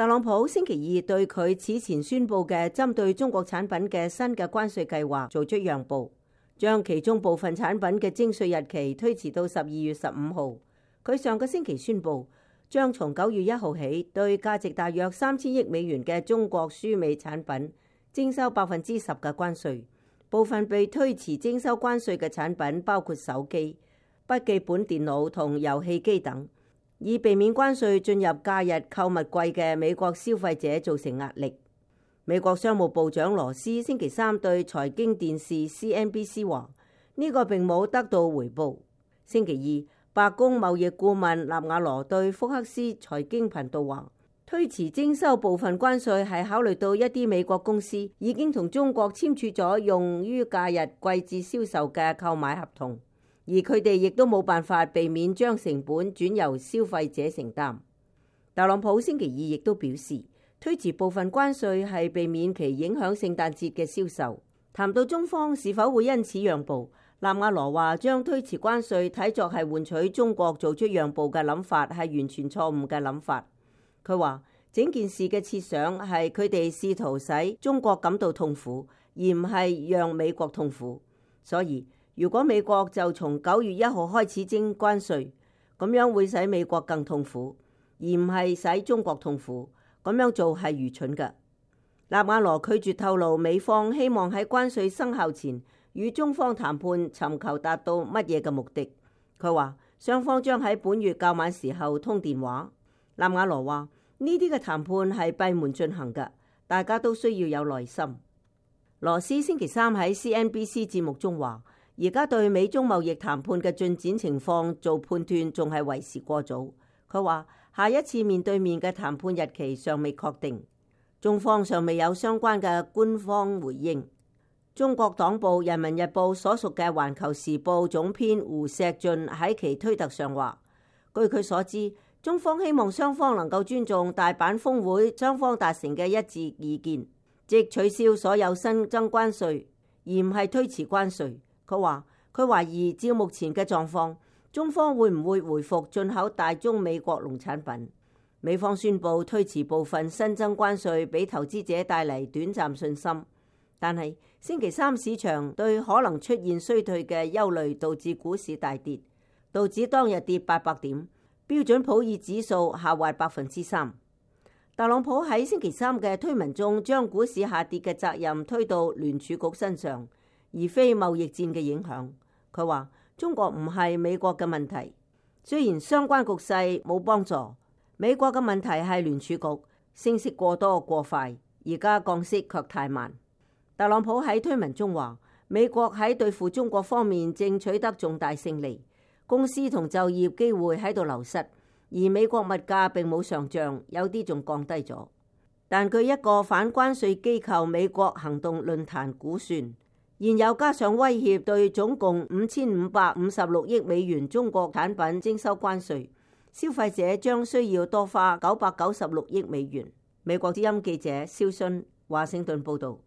特朗普星期二對佢此前宣布嘅針對中國產品嘅新嘅關稅計劃做出讓步，將其中部分產品嘅徵稅日期推遲到12月15號。佢上個星期宣布，將從9月1號起對價值大約3000億美元嘅中國輸美產品徵收10%嘅關稅。部分被推遲徵收關稅嘅產品包括手機、筆記本電腦同遊戲機等，以避免關稅進入假日購物季嘅美國消費者造成壓力。美國商務部長羅斯星期三對財經電視 CNBC 話，呢個並冇得到回報。星期二，白宮貿易顧問納瓦羅對福克斯財經頻道話，推遲徵收部分關稅係考慮到一啲美國公司已經同中國簽署咗用於假日季節銷售嘅購買合同，而佢哋亦都冇辦法避免將成本轉由消費者承擔。特朗普星期二亦都表示，推遲部分關稅係避免其影響聖誕節嘅銷售。談到中方是否會因此讓步，納瓦羅話將推遲關稅睇作係換取中國做出讓步嘅諗法係完全錯誤嘅諗法。佢話整件事嘅設想係佢哋試圖使中國感到痛苦，而唔係讓美國痛苦。所以如果美國就從9月1號開始徵關稅，咁樣會使美國更痛苦，而唔係使中國痛苦。咁樣做係愚蠢嘅。納瓦羅拒絕透露美方希望喺關稅生效前與中方談判，尋求達到乜嘢嘅目的。佢話雙方將喺本月較晚時候通電話。納瓦羅話呢啲嘅談判係閉門進行嘅，大家都需要有耐心。羅斯星期三喺 CNBC 節目中話，而家對美中貿易談判嘅進展情況做判斷仲係為時過早。佢話下一次面對面嘅談判日期尚未確定，中方尚未有相關嘅官方回應。中國黨報《人民日報》所屬嘅《環球時報》總編胡錫進喺其推特上話，據佢所知，中方希望雙方能夠尊重大阪峰會雙方達成嘅一致意見，即取消所有新增關稅，而唔係推遲關稅。佢話佢懷疑照目前嘅狀況，中方會唔會回復進口大宗美國農產品？美方宣布推遲部分新增關稅，俾投資者帶嚟短暫信心，但係星期三市場對可能出現衰退嘅憂慮導致股市大跌，道指當日跌800點，標準普爾指數下滑3%。特朗普喺星期三嘅推文中，將股市下跌嘅責任推到聯儲局身上，而非貿易戰嘅影響。佢話中國唔係美國嘅問題，雖然相關局勢冇幫助，美國嘅問題係聯儲局升息過多過快，而家降息卻太慢。特朗普喺推文中話，美國喺對付中國方面正取得重大勝利，公司同就業機會喺度流失，而美國物價並冇上漲，有啲仲降低咗。但據一個反關稅機構美國行動論壇估算，現有加上威脅對總共5556億美元中國產品徵收關稅，消費者將需要多花996億美元。美國之音記者蕭信華盛頓報道。